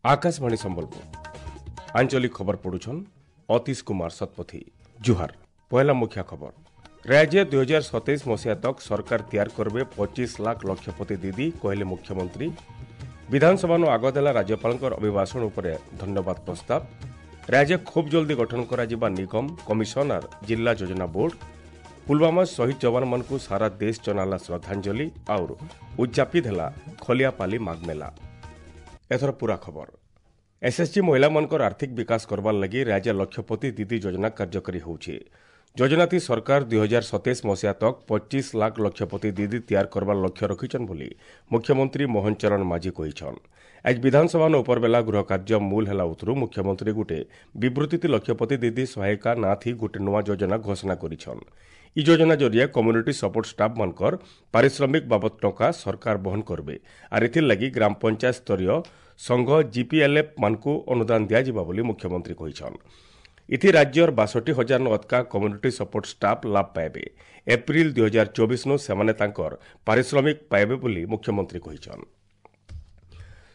ଆକାଶବାଣୀ ସମ୍ବଲପୁର, ଆଞ୍ଚଳିକ ଖବର ପଢୁଛନ୍ ଅତୀଶ କୁମାର ଶତପଥୀ। ଜୁହାର। ପହିଲା ମୁଖ୍ୟ ଖବର। ରାଜ୍ୟ 2027 ମସିହା ତକ ସରକାର ତିଆର କରିବେ 25 ଲାଖ ଲକ୍ଷପତି ଦିଦି, କହିଲେ ମୁଖ୍ୟମନ୍ତ୍ରୀ। ବିଧାନସଭାନୁ ଆଗତ ହେଲା ରାଜ୍ୟପାଳଙ୍କର ଅଭିଭାଷଣ ଉପରେ ଧନ୍ୟବାଦ ପ୍ରସ୍ତାବ। ରାଜ୍ୟ ଖୁବ୍ ଜଲ୍ଦି ଗଠନ କରାଯିବା ନିଗମ, କମିଶନର, ଜିଲ୍ଲା ଯୋଜନା ବୋର୍ଡ। ପୁଲୱାମା ଶହୀଦ ଯବାନମାନଙ୍କୁ ସାରା ଦେଶ ଜଣାଲା ଶ୍ରଦ୍ଧାଞ୍ଜଳି। ଆଉ ଉଦ୍ଯାପିତ ହେଲା ଖଲିଆପାଲି ମାଘମେଳା। ଏଥର ପୁରା ଖବର। ଏସ୍ଏସ୍ଜି ମହିଳାମାନଙ୍କର ଆର୍ଥିକ ବିକାଶ କରବାର୍ ଲାଗି ରାଜ୍ୟ ଲକ୍ଷପତି ଦିଦି ଯୋଜନା କାର୍ଯ୍ୟକାରୀ ହେଉଛି। ଯୋଜନାତି ସରକାର 2027 ମସିହା ତକ୍ 25 ଲାଖ ଲକ୍ଷପତି ଦିଦି ତିଆର କରବାର ଲକ୍ଷ୍ୟ ରଖିଛନ୍ ବୋଲି ମୁଖ୍ୟମନ୍ତ୍ରୀ ମୋହନ ଚରଣ ମାଝୀ କହିଛନ୍। ଆଜ ବିଧାନସଭାନ ଉପରବେଲା ଗୃହ କାର୍ଯ୍ୟ ମୂଲ ହେଲା ଉତରୁ ମୁଖ୍ୟମନ୍ତ୍ରୀ ଗୁଟେ ବିବୃତ୍ତି ଲକ୍ଷପତି ଦିଦି ସହାୟିକା ନାଥି ଗୁଟେ ନୂଆ ଯୋଜନା ଘୋଷଣା କରିଛନ୍। ଇ ଯୋଜନା ଜରିଆ କମ୍ୟୁନିଟି ସପୋର୍ଟ ଷ୍ଟାଫ୍ ମାନଙ୍କର ପାରିଶ୍ରମିକ ବାବଦ ଟଙ୍କା ସରକାର ବହନ କରିବେ, ଆର୍ ଏଥିର୍ଲାଗି ଗ୍ରାମ ପଞ୍ଚାୟତ ସ୍ତରୀୟ ସଂଘ ଜିପିଏଲ୍ଏଫ୍ ମାନଙ୍କୁ ଅନୁଦାନ ଦିଆଯିବ ବୋଲି ମୁଖ୍ୟମନ୍ତ୍ରୀ କହିଛନ୍। ଇଥି ରାଜ୍ୟର 62,000 ଅଧକା କମ୍ୟୁନିଟି ସପୋର୍ଟ ଷ୍ଟାଫ୍ ଲାଭ ପାଇବେ। ଏପ୍ରିଲ 2024 ନୁ ସେମାନେ ତାଙ୍କର ପାରିଶ୍ରମିକ ପାଇବେ ବୋଲି ମୁଖ୍ୟମନ୍ତ୍ରୀ କହିଛନ୍।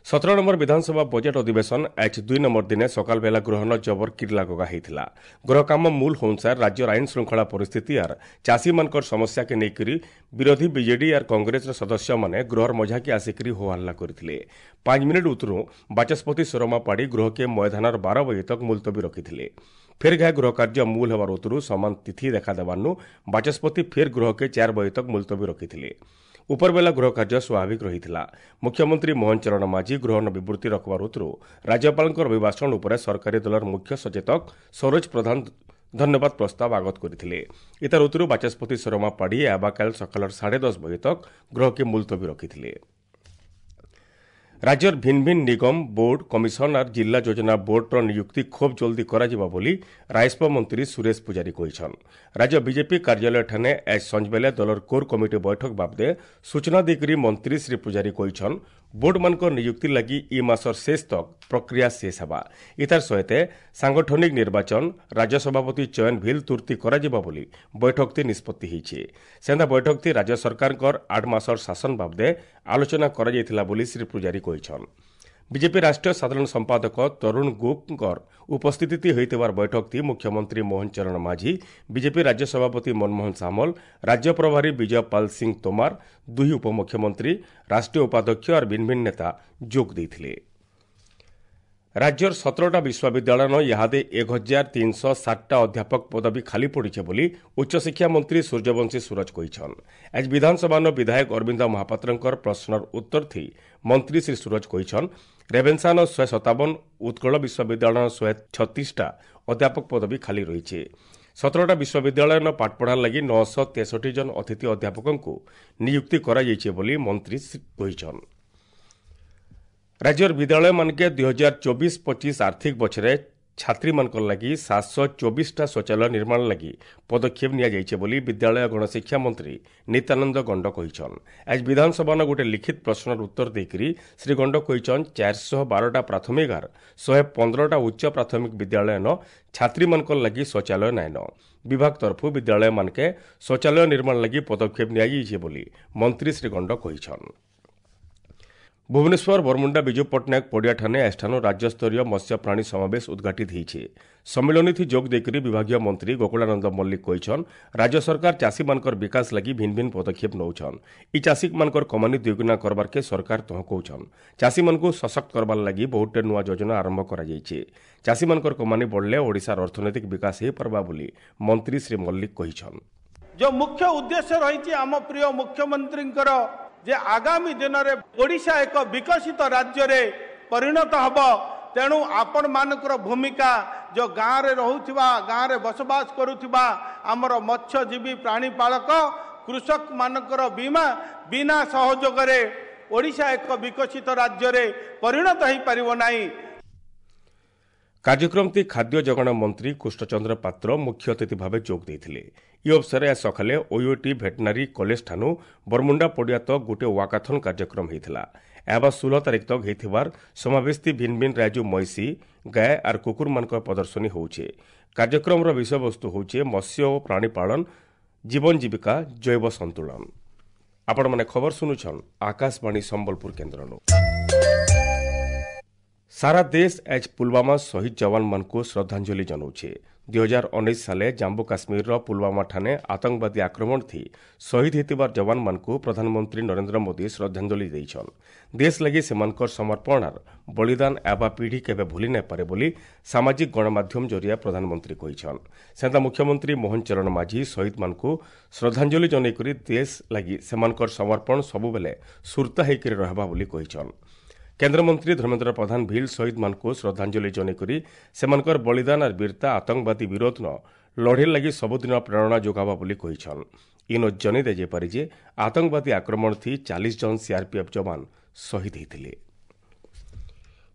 17 ନମ୍ବର ବିଧାନସଭା ବଜେଟ୍ ଅଧିବେଶନ ଆଜ 2 ନମ୍ବର ଦିନେ ସକାଳ ବେଲା ଗୃହନ ଜବର କିର୍ଲାଗଗା ହେଇଥିଲା। ଗୃହ କାମ ମୂଲ ଅନୁସାର ରାଜ୍ୟର ଆଇନ ଶୃଙ୍ଖଳା ପରିସ୍ଥିତି ଆର୍ ଚାଷୀମାନଙ୍କର ସମସ୍ୟାକେ ନେଇକରି ବିରୋଧୀ ବିଜେଡି ଆର୍ କଂଗ୍ରେସର ସଦସ୍ୟମାନେ ଗୃହର ମଝାକେ ଆସିକରି ହୋହାଲ୍ଲା କରିଥିଲେ। 5 ମିନିଟ୍ ଉତରୁ ବାଚସ୍ପତି ସୁରମା ପାଢ଼ୀ ଗୃହକେ ମଇଦାନର 12 ବଜେ ତକ୍ ମୁଲତବୀ ରଖିଥିଲେ। ଫେର୍ ଘାଏ ଗୃହ କାର୍ଯ୍ୟ ମୂଲ ହେବାର ଉତରୁ ସମାନ ତିଥି ଦେଖାଦେବାନୁ ବାଚସ୍ପତି ଫେର୍ ଗୃହକେ 4 ବଜେ ତକ୍ ମୁଲତବୀ ରଖିଥିଲେ। ଉପରବେଲା ଗୃହ କାର୍ଯ୍ୟ ସ୍ୱାଭାବିକ ରହିଥିଲା। ମୁଖ୍ୟମନ୍ତ୍ରୀ ମୋହନ ଚରଣ ମାଝୀ ଗୃହନ ବିବୃତ୍ତି ରଖବାର ଉତରୁ ରାଜ୍ୟପାଳଙ୍କର ଅଭିଭାଷଣ ଉପରେ ସରକାରୀ ଦଳର ମୁଖ୍ୟ ସଚେତକ ସରୋଜ ପ୍ରଧାନ ଧନ୍ୟବାଦ ପ୍ରସ୍ତାବ ଆଗତ କରିଥିଲେ। ଏତାର ଉତରୁ ବାଚସ୍ପତି ସୁରମା ପାଢ଼ୀ ଆବାକାଲ ସକାଳର 10:30 ବଜେ ତକ୍ ଗୃହକେ ମୁଲତବୀ ରଖିଥିଲେ। ରାଜ୍ୟର ଭିନ୍ନ ଭିନ୍ନ ନିଗମ, ବୋର୍ଡ, କମିଶନର, ଜିଲ୍ଲା ଯୋଜନା ବୋର୍ଡର ନିଯୁକ୍ତି ଖୁବ୍ ଜଲ୍ଦି କରାଯିବ ବୋଲି ରାଜସ୍ୱ ମନ୍ତ୍ରୀ ସୁରେଶ ପୂଜାରୀ କହିଛନ୍। ରାଜ୍ୟ ବିଜେପି କାର୍ଯ୍ୟାଳୟଠାନେ ଆଜ ସଞ୍ଜବେଲେ ଦଳର କୋର୍ କମିଟି ବୈଠକ ବାବଦେ ସୂଚନା ଦେଇକରି ମନ୍ତ୍ରୀ ଶ୍ରୀ ପୂଜାରୀ କହିଛନ୍, ବୋର୍ଡମାନଙ୍କର ନିଯୁକ୍ତି ଲାଗି ଇ ମାସର ଶେଷ ତକ୍ ପ୍ରକ୍ରିୟା ଶେଷ ହେବା। ଇତାର ସହିତ ସାଙ୍ଗଠନିକ ନିର୍ବାଚନ, ରାଜ୍ୟ ସଭାପତି ଚୟନ ଭିଲ୍ ତୁର୍ତ୍ତି କରାଯିବ ବୋଲି ବୈଠକଟି ନିଷ୍ପତ୍ତି ହୋଇଛି। ସେନ୍ତା ବୈଠକଟି ରାଜ୍ୟ ସରକାରଙ୍କର 8 ମାସର ଶାସନ ବାବଦେ ଆଲୋଚନା କରାଯାଇଥିଲା ବୋଲି ଶ୍ରୀ ପୂଜାରୀ କହିଛନ୍। ବିଜେପି ରାଷ୍ଟ୍ରୀୟ ସାଧାରଣ ସମ୍ପାଦକ ତରୁଣ ଗୁପ୍ତଙ୍କର ଉପସ୍ଥିତି ହୋଇଥିବାର ବୈଠକଟି ମୁଖ୍ୟମନ୍ତ୍ରୀ ମୋହନ ଚରଣ ମାଝୀ, ବିଜେପି ରାଜ୍ୟ ସଭାପତି ମନମୋହନ ସାମଲ, ରାଜ୍ୟ ପ୍ରଭାରୀ ବିଜୟ ପାଲ ସିଂ ତୋମାର, ଦୁଇ ଉପମୁଖ୍ୟମନ୍ତ୍ରୀ, ରାଷ୍ଟ୍ରୀୟ ଉପାଧ୍ୟକ୍ଷ ଆର୍ ଭିନ୍ନ ଭିନ୍ନ ନେତା ଯୋଗ ଦେଇଥିଲେ। ରାଜ୍ୟର 17ଟା ବିଶ୍ୱବିଦ୍ୟାଳୟନ ଇହାଦେ 1307ଟା ଅଧ୍ୟାପକ ପଦବୀ ଖାଲି ପଡ଼ିছে ବୋଲି ଉଚ୍ଚଶିକ୍ଷା ମନ୍ତ୍ରୀ ସୂର୍ଯ୍ୟବଂଶୀ ସୂରଜ କହିଛନ୍। ଆଜ ବିଧାନସଭାନ ବିଧାୟକ ଅରବିନ୍ଦ ମହାପାତ୍ରଙ୍କର ପ୍ରଶ୍ନର ଉତ୍ତର ଥି ମନ୍ତ୍ରୀ ଶ୍ରୀ ସୂରଜ କହିଛନ୍, ରେଭେନ୍ସାନ 157, ଉତ୍କଳ ବିଶ୍ୱବିଦ୍ୟାଳୟନ 136ଟା ଅଧ୍ୟାପକ ପଦବୀ ଖାଲି ରହିছে। 17ଟା ବିଶ୍ୱବିଦ୍ୟାଳୟନ ପାଠପଢ଼ା ଲାଗି 963 ଜଣ ଅତିଥି ଅଧ୍ୟାପକଙ୍କୁ ନିଯୁକ୍ତି କରାଯାଇଛି ବୋଲି ମନ୍ତ୍ରୀ କହିଛନ୍। ରାଜ୍ୟର ବିଦ୍ୟାଳୟମାନକେ 2024-25 ଆର୍ଥିକ ବଛରେ ଛାତ୍ରୀମାନଙ୍କର ଲାଗି 724ଟା ଶୌଚାଳୟ ନିର୍ମାଣ ଲାଗି ପଦକ୍ଷେପ ନିଆଯାଇଛି ବୋଲି ବିଦ୍ୟାଳୟ ଗଣଶିକ୍ଷା ମନ୍ତ୍ରୀ ନିତ୍ୟାନନ୍ଦ ଗଣ୍ଡ କହିଛନ୍। ଆଜ ବିଧାନସଭାନ ଗୋଟେ ଲିଖିତ ପ୍ରଶ୍ନର ଉତ୍ତର ଦେଇକରି ଶ୍ରୀ ଗଣ୍ଡ କହିଛନ୍, 412ଟା ପ୍ରାଥମିକ ଆର୍ 115ଟା ଉଚ୍ଚ ପ୍ରାଥମିକ ବିଦ୍ୟାଳୟନ ଛାତ୍ରୀମାନଙ୍କର ଲାଗି ଶୌଚାଳୟ ନାଇନ। ବିଭାଗ ତରଫରୁ ବିଦ୍ୟାଳୟମାନକେ ଶୌଚାଳୟ ନିର୍ମାଣ ଲାଗି ପଦକ୍ଷେପ ନିଆଯାଇଛି ବୋଲି ମନ୍ତ୍ରୀ ଶ୍ରୀ ଗଣ୍ଡ କହିଛନ୍। ଭୁବନେଶ୍ୱର ବରମୁଣ୍ଡା ବିଜୁ ପଟ୍ଟନାୟକ ପଡ଼ିଆଠାନେ ଆଜିଠାନୁ ରାଜ୍ୟସ୍ତରୀୟ ମତ୍ସ୍ୟ ପ୍ରାଣୀ ସମାବେଶ ଉଦ୍ଘାଟିତ ହୋଇଛି। ସମ୍ମିଳନୀଥି ଯୋଗ ଦେଇକରି ବିଭାଗୀୟ ମନ୍ତ୍ରୀ ଗୋକୁଳାନନ୍ଦ ମଲ୍ଲିକ କହିଛନ୍, ରାଜ୍ୟ ସରକାର ଚାଷୀମାନଙ୍କର ବିକାଶ ଲାଗି ଭିନ୍ନ ଭିନ୍ନ ପଦକ୍ଷେପ ନେଉଛନ୍। ଇ ଚାଷୀମାନଙ୍କର କମାନି ଦ୍ୱିଗୁଣା କରବାର୍କେ ସରକାର ତହ କହୁଛନ୍। ଚାଷୀମାନଙ୍କୁ ସଶକ୍ତ କରବାର୍ ଲାଗି ବହୁତଟେ ନୂଆ ଯୋଜନା ଆରମ୍ଭ କରାଯାଇଛି। ଚାଷୀମାନଙ୍କର କମାନି ବଢ଼ିଲେ ଓଡ଼ିଶାର ଅର୍ଥନୈତିକ ବିକାଶ ହୋଇପାରବା ବୋଲି ମନ୍ତ୍ରୀ ଶ୍ରୀ ମଲ୍ଲିକ କହିଛନ୍। ଯେଉଁ ମୁଖ୍ୟ ଉଦ୍ଦେଶ୍ୟ ରହିଛି ଆମ ପ୍ରିୟ ମୁଖ୍ୟମନ୍ତ୍ରୀଙ୍କର ଯେ ଆଗାମୀ ଦିନରେ ଓଡ଼ିଶା ଏକ ବିକଶିତ ରାଜ୍ୟରେ ପରିଣତ ହେବ, ତେଣୁ ଆପଣମାନଙ୍କର ଭୂମିକା ଯେଉଁ ଗାଁରେ ରହୁଥିବା, ଗାଁରେ ବସବାସ କରୁଥିବା ଆମର ମତ୍ସ୍ୟଜୀବୀ, ପ୍ରାଣୀପାଳକ, କୃଷକମାନଙ୍କର ବିନା ସହଯୋଗରେ ଓଡ଼ିଶା ଏକ ବିକଶିତ ରାଜ୍ୟରେ ପରିଣତ ହୋଇପାରିବ ନାହିଁ। କାର୍ଯ୍ୟକ୍ରମଟି ଖାଦ୍ୟ ଯୋଗାଣ ମନ୍ତ୍ରୀ କୃଷ୍ଣଚନ୍ଦ୍ର ପାତ୍ର ମୁଖ୍ୟ ଅତିଥି ଭାବେ ଯୋଗ ଦେଇଥିଲେ। ଇ ଅବସରରେ ଆଜ ସକାଳେ ଓୟୁଟି ଭେଟନାରୀ କଲେଜ ଠାନୁ ବରମୁଣ୍ଡା ପଡ଼ିଆ ତକ୍ ଗୋଟିଏ ୱାକାଥନ୍ କାର୍ଯ୍ୟକ୍ରମ ହୋଇଥିଲା। ଏହା 16 ତାରିଖ ତକ୍ ହେଇଥିବାର ସମାବେଶଟି ଭିନ୍ନ ଭିନ୍ନ ରାଜ୍ୟ ମଇଁଷି, ଗାଏ ଆର୍ କୁକୁରମାନଙ୍କର ପ୍ରଦର୍ଶନୀ ହେଉଛି। କାର୍ଯ୍ୟକ୍ରମର ବିଷୟବସ୍ତୁ ହେଉଛି ମତ୍ସ୍ୟ ଓ ପ୍ରାଣୀପାଳନ, ଜୀବନ ଜୀବିକା, ଜୈବ ସନ୍ତୁଳନ। ଆପଣମାନେ ଖବର ଶୁଣୁଛନ୍ ଆକାଶବାଣୀ ସମ୍ବଲପୁର କେନ୍ଦ୍ରନୁ। ସାରା ଦେଶ ଆଜ୍ ପୁଲୱାମା ଶହୀଦ ଯବାନମାନଙ୍କୁ ଶ୍ରଦ୍ଧାଞ୍ଜଳି ଜଣାଉଛି। 2019 ସାଲେ ଜାମ୍ମୁ କାଶ୍ମୀରର ପୁଲୱାମା ଠାନେ ଆତଙ୍କବାଦୀ ଆକ୍ରମଣ ଥି ଶହୀଦ ହେଇଥିବାର ଯବାନମାନଙ୍କୁ ପ୍ରଧାନମନ୍ତ୍ରୀ ନରେନ୍ଦ୍ର ମୋଦି ଶ୍ରଦ୍ଧାଞ୍ଜଳି ଦେଇଛନ୍। ଦେଶ ଲାଗି ସେମାନଙ୍କର ସମର୍ପଣର ବଳିଦାନ ଆବା ପିଢ଼ି କେବେ ଭୁଲି ନାଇପାରେ ବୋଲି ସାମାଜିକ ଗଣମାଧ୍ୟମ ଜରିଆ ପ୍ରଧାନମନ୍ତ୍ରୀ କହିଛନ୍। ସେନ୍ତା ମୁଖ୍ୟମନ୍ତ୍ରୀ ମୋହନ ଚରଣ ମାଝୀ ଶହୀଦମାନଙ୍କୁ ଶ୍ରଦ୍ଧାଞ୍ଜଳି ଜଣାଇକରି ଦେଶ ଲାଗି ସେମାନଙ୍କର ସମର୍ପଣ ସବୁବେଲେ ସୁର୍ତ୍ତା ହେଇକରି ରହେବା ବୋଲି କହିଛନ୍। କେନ୍ଦ୍ରମନ୍ତ୍ରୀ ଧର୍ମେନ୍ଦ୍ର ପ୍ରଧାନ ଭିଲ୍ ଶହୀଦମାନଙ୍କୁ ଶ୍ରଦ୍ଧାଞ୍ଜଳି ଜଣାଇକରି ସେମାନଙ୍କର ବଳିଦାନ ଆର୍ ବୀରତା ଆତଙ୍କବାଦୀ ବିରୋଧ ଲଢ଼େଇ ଲାଗି ସବୁଦିନ ପ୍ରେରଣା ଯୋଗାବା ବୋଲି କହିଛନ୍। ଇନ ଜଣାଇ ଦିଆଯାଇପାରେ ଯେ ଆତଙ୍କବାଦୀ ଆକ୍ରମଣ ଥି 40 ଜଣ ସିଆର୍ପିଏଫ୍ ଯବାନ ଶହୀଦ ହୋଇଥିଲେ।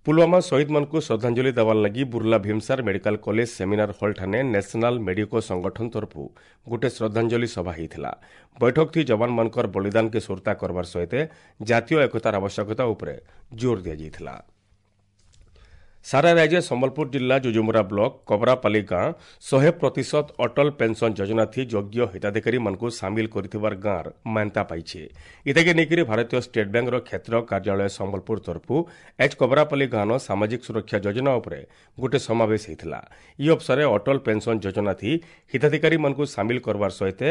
ପୁଲୱାମା ଶହୀଦମାନଙ୍କୁ ଶ୍ରଦ୍ଧାଞ୍ଜଳି ଦେବାର ଲାଗି Burla Bhimsar medical college seminar hall ଠାନେ ନ୍ୟାସନାଲ ମେଡିକୋ ସଂଗଠନ ତରଫରୁ ଗୋଟେ ଶ୍ରଦ୍ଧାଞ୍ଜଳି ସଭା ହୋଇଥିଲା। ବୈଠକ ଥି ଯବାନମାନଙ୍କର ବଳିଦାନକେ ସୁରତା କରବାର ସହିତ ଜାତୀୟ ଏକତାର ଆବଶ୍ୟକତା ଉପରେ ଜୋର ଦିଆଯାଇଥିଲା। ସାରା ରାଜ୍ୟ ସମ୍ବଲପୁର ଜିଲ୍ଲା ଯୁଯୁମୁରା ବ୍ଲକ କବରାପାଲି ଗାଁ 100% ଅଟଲ ପେନ୍ସନ୍ ଯୋଜନା ଥି ଯୋଗ୍ୟ ହିତାଧିକାରୀମାନଙ୍କୁ ସାମିଲ କରିଥିବାର ଗାଁର ମାନ୍ୟତା ପାଇছে। ଇତାକେ ନେଇକରି ଭାରତୀୟ ଷ୍ଟେଟ୍ ବ୍ୟାଙ୍କର କ୍ଷେତ୍ର କାର୍ଯ୍ୟାଳୟ ସମ୍ବଲପୁର ତରଫରୁ ଏଚ୍ କବରାପାଲି ଗାଁର ସାମାଜିକ ସୁରକ୍ଷା ଯୋଜନା ଉପରେ ଗୋଟେ ସମାବେଶ ହୋଇଥିଲା। ଇ ଅବସରରେ ଅଟଲ ପେନ୍ସନ୍ ଯୋଜନା ଥି ହିତାଧିକାରୀମାନଙ୍କୁ ସାମିଲ କରବାର ସହିତ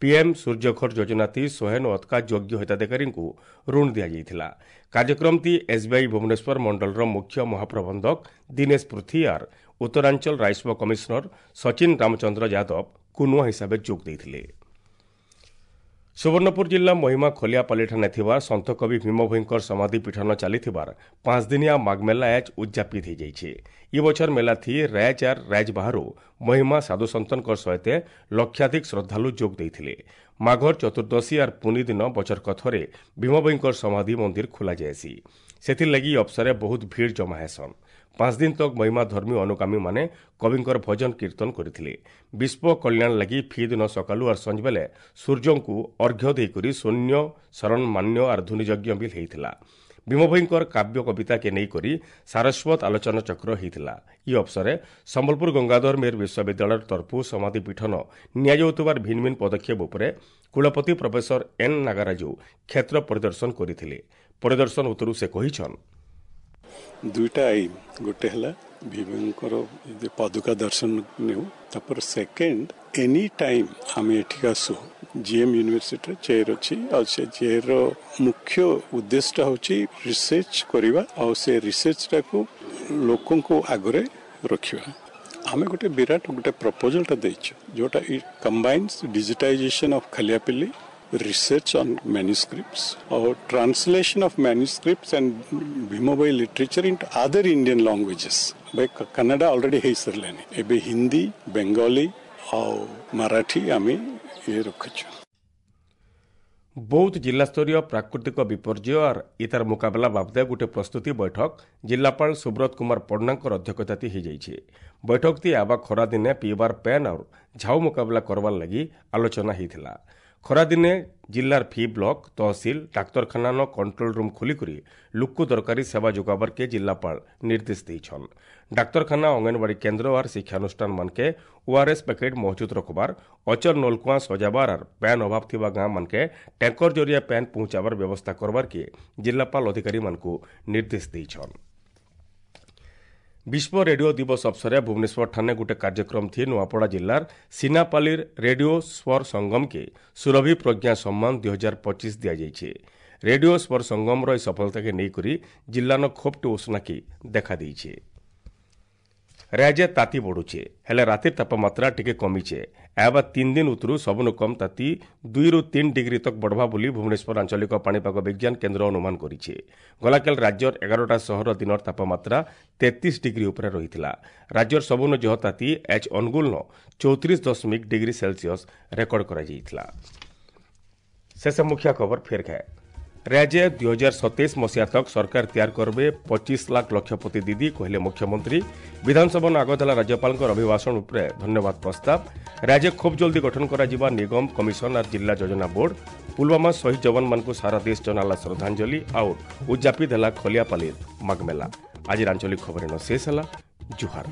ପିଏମ୍ ସୂର୍ଯ୍ୟଘର ଯୋଜନା ଥି 100 ଅତକା ଯୋଗ୍ୟ ହିତାଧିକାରୀଙ୍କୁ ଋଣ ଦିଆଯାଇଥିଲା। କାର୍ଯ୍ୟକ୍ରମଟି ଏସ୍ବିଆଇ ଭୁବନେଶ୍ୱର ମଣ୍ଡଳର ମୁଖ୍ୟ ମହାପ୍ରବନ୍ଧକ ଦିନେଶ ପୃଥିଆର, ଉତ୍ତରାଞ୍ଚଳ ରାଜସ୍ୱ କମିଶନର ସଚିନ ରାମଚନ୍ଦ୍ର ଯାଦବ କୁନୁଆ ହିସାବେ ଯୋଗ ଦେଇଥିଲେ। ସୁବର୍ଣ୍ଣପୁର ଜିଲ୍ଲା ମହିମା ଖଲିଆପାଲିଠାରେ ଥିବା ସନ୍ଥକବି ଭୀମଭୋଇଙ୍କର ସମାଧି ପୀଠନ ଚାଲିଥିବାର 5 ଦିନିଆ ମାଘମେଲା ଆଜ୍ ଉଦ୍ଯାପିତ ହୋଇଯାଇଛି। ଇ ବଛର ମେଲା ଥି ରାଜ ଆର୍ ରାଜ ବାହାରୁ ମହିମା ସାଧୁସନ୍ତଙ୍କ ସହିତ ଲକ୍ଷାଧିକ ଶ୍ରଦ୍ଧାଳୁ ଯୋଗ ଦେଇଥିଲେ। ମାଘର ଚତୁର୍ଦ୍ଦଶୀ ଆର୍ ପୁନି ଦିନ ବଛରକ ଥରେ ଭୀମଭୋଇଙ୍କର ସମାଧି ମନ୍ଦିର ଖୋଲାଯାଏସି। ସେଥିର୍ଲାଗି ଅବସରେ ବହୁତ ଭିଡ଼ ଜମା ହେସନ୍। 5 ଦିନ ତକ ମହିମା ଧର୍ମୀ ଅନୁଗାମୀମାନେ କବିଙ୍କର ଭଜନ କୀର୍ତ୍ତନ କରିଥିଲେ। ବିଶ୍ୱ କଲ୍ୟାଣ ଲାଗି ଫି ଦିନ ସକାଳୁ ଆର୍ ସଞ୍ଜବେଲେ ସୂର୍ଯ୍ୟଙ୍କୁ ଅର୍ଘ୍ୟ ଦେଇକରି ଶୂନ୍ୟ ଶରଣ ମାନ୍ୟ ଆର୍ ଧୁନିଯଜ୍ଞ ବି ହେଇଥିଲା। ଭୀମଭୋଇଙ୍କର କାବ୍ୟ କବିତାକେ ନେଇକରି ସାରସ୍ୱତ ଆଲୋଚନା ଚକ୍ର ହେଇଥିଲା। ଇ ଅବସରେ ସମ୍ବଲପୁର ଗଙ୍ଗାଧର ମେହେର ବିଶ୍ୱବିଦ୍ୟାଳୟ ତରଫରୁ ସମାଧି ପୀଠନ ନିଆଯାଉଥିବାର ଭିନ୍ନ ଭିନ୍ନ ପଦକ୍ଷେପ ଉପରେ କୁଳପତି ପ୍ରଫେସର ଏନ୍ ନାଗାରାଜୁ କ୍ଷେତ୍ର ପରିଦର୍ଶନ କରିଥିଲେ। ପରିଦର୍ଶନ ଉତ୍ତରୁ ସେ କହିଛନ୍, ଦୁଇଟା ଆଇନ୍, ଗୋଟେ ହେଲା ଭୀମଙ୍କର ପାଦୁକା ଦର୍ଶନ ନେଉ, ତାପରେ ସେକେଣ୍ଡ ଏନି ଟାଇମ୍ ଆମେ ଏଠିକି ଆସୁ। ଜିଏମ୍ ୟୁନିଭର୍ସିଟିରେ ଚେୟାର ଅଛି, ଆଉ ସେ ଚେୟାରର ମୁଖ୍ୟ ଉଦ୍ଦେଶ୍ୟଟା ହେଉଛି ରିସର୍ଚ୍ଚ କରିବା, ଆଉ ସେ ରିସର୍ଚ୍ଚଟାକୁ ଲୋକଙ୍କୁ ଆଗରେ ରଖିବା। ଆମେ ଗୋଟେ ବିରାଟ ଗୋଟେ ପ୍ରପୋଜାଲଟା ଦେଇଛୁ, ଯେଉଁଟା it combines digitization of Khaliapili, research on manuscripts or translation of manuscripts and Bhimabhoi literature into other Indian languages. By Kannada already ହେଇସାରିଲାଣି, ଏବେ ହିନ୍ଦୀ, ବେଙ୍ଗଲୀ ଆଉ ମରାଠୀ ଆମେ ଇଏ ରଖୁଛୁ। ବୌଦ୍ଧ ଜିଲ୍ଲାସ୍ତରୀୟ ପ୍ରାକୃତିକ ବିପର୍ଯ୍ୟୟ ଆର୍ ଇତାର ମୁକାବିଲା ବାବଦେ ଗୋଟେ ପ୍ରସ୍ତୁତି ବୈଠକ ଜିଲ୍ଲାପାଳ ସୁବ୍ରତ କୁମାର ପଣ୍ଡାଙ୍କର ଅଧ୍ୟକ୍ଷତାତି ହୋଇଯାଇଛି। ବୈଠକଟି ଆବା ଖରାଦିନେ ପିଇବାର ପ୍ୟାନ୍ ଆଉ ଝାଉ ମୁକାବିଲା କରବାର୍ ଲାଗି ଆଲୋଚନା ହେଇଥିଲା। ଖରାଦିନେ ଜିଲ୍ଲାର ଫି ବ୍ଲକ, ତହସିଲ, ଡାକ୍ତରଖାନାନ କଣ୍ଟ୍ରୋଲ ରୁମ୍ ଖୋଲିକରି ଲୋକକୁ ଦରକାରୀ ସେବା ଯୋଗାବାର୍କେ ଜିଲ୍ଲାପାଳ ନିର୍ଦ୍ଦେଶ ଦେଇଛନ୍। ଡାକ୍ତରଖାନା, ଅଙ୍ଗନବାଡ଼ି କେନ୍ଦ୍ର ଆର୍ ଶିକ୍ଷାନୁଷ୍ଠାନ ମାନକେ ଓଆର୍ଏସ୍ ପ୍ୟାକେଟ୍ ମହଜୁଦ ରଖବାର, ଅଚଳ ନଲକୁଆଁ ସଜାବାର ଆର୍ ପ୍ୟାନ୍ ଅଭାବ ଥିବା ଗାଁ ମାନକେ ଟ୍ୟାଙ୍କର ଜରିଆ ପ୍ୟାନ୍ ପହଞ୍ଚାବାର ବ୍ୟବସ୍ଥା କରବାର୍କେ ଜିଲ୍ଲାପାଳ ଅଧିକାରୀମାନଙ୍କୁ ନିର୍ଦ୍ଦେଶ ଦେଇଛନ୍। ବିଶ୍ୱ ରେଡିଓ ଦିବସ ଅବସରେ ଭୁବନେଶ୍ୱର ଠାନେ ଗୋଟେ କାର୍ଯ୍ୟକ୍ରମ ଥି ନୂଆପଡ଼ା ଜିଲ୍ଲାର ସିନାପାଲିର ରେଡିଓ ସ୍ୱର ସଙ୍ଗମକେ ସୁରଭି ପ୍ରଜ୍ଞା ସମ୍ମାନ 2025 ଦିଆଯାଇଛି। ରେଡିଓ ସ୍ୱର ସଙ୍ଗମର ଏହି ସଫଳତାକେ ନେଇକରି ଜିଲ୍ଲାନ ଖୋବଟେ ଉଷ୍ଣାକି ଦେଖାଦେଇছে। ରାଜ୍ୟ ତାତି ବଢୁଛେ, ହେଲେ ରାତିର ତାପମାତ୍ରା ଟିକେ କମିଛେ। ଏହାବା 3 ଦିନ ଉତ୍ତରୁ ସବୁନୁ କମ୍ ତାତି 2ରୁ 3 ଡିଗ୍ରୀ ତକ ବଢ଼ବା ବୋଲି ଭୁବନେଶ୍ୱର ଆଞ୍ଚଳିକ ପାଣିପାଗ ବିଜ୍ଞାନ କେନ୍ଦ୍ର ଅନୁମାନ କରିছে। ଗଲାକାଲ ରାଜ୍ୟର 11ଟା ସହର ଦିନର ତାପମାତ୍ରା 33 ଡିଗ୍ରୀ ଉପରେ ରହିଥିଲା। ରାଜ୍ୟର ସବୁନୁ ଜହ ତାତି ଏଚ୍ ଅନୁଗୁଳନ 34.1 ଡିଗ୍ରୀ ସେଲସିୟସ୍ ରେକର୍ଡ କରାଯାଇଥିଲା। ଶେଷ ମୁଖ୍ୟ ଖବର ଫେର ଖାଏ। ରାଜ୍ୟ 2027 ମସିହା ତକ ସରକାର ତିଆରି କରିବେ 25 ଲାଖ ଲକ୍ଷପତି ଦିଦି, କହିଲେ ମୁଖ୍ୟମନ୍ତ୍ରୀ। ବିଧାନସଭା ଆଗତ ହେଲା ରାଜ୍ୟପାଳଙ୍କ ଅଭିଭାଷଣ ଉପରେ ଧନ୍ୟବାଦ ପ୍ରସ୍ତାବ। ରାଜ୍ୟ ଖୁବ୍ ଜଲ୍ଦି ଗଠନ କରାଯିବା ନିଗମ, କମିଶନ ଆର୍ ଜିଲ୍ଲା ଯୋଜନା ବୋର୍ଡ। ପୁଲୱାମା ଶହୀଦ ଯବାନମାନଙ୍କୁ ସାରା ଦେଶ ଜଣାଲା ଶ୍ରଦ୍ଧାଞ୍ଜଳି ଆଉ ଉଦ୍ଯାପିତ ହେଲା ଖଲିଆପାଲିର ମାଘମେଲା। ଆଜିର ଆଞ୍ଚଳିକ ଖବର ଶେଷ ହେଲା। ଜୁହାର।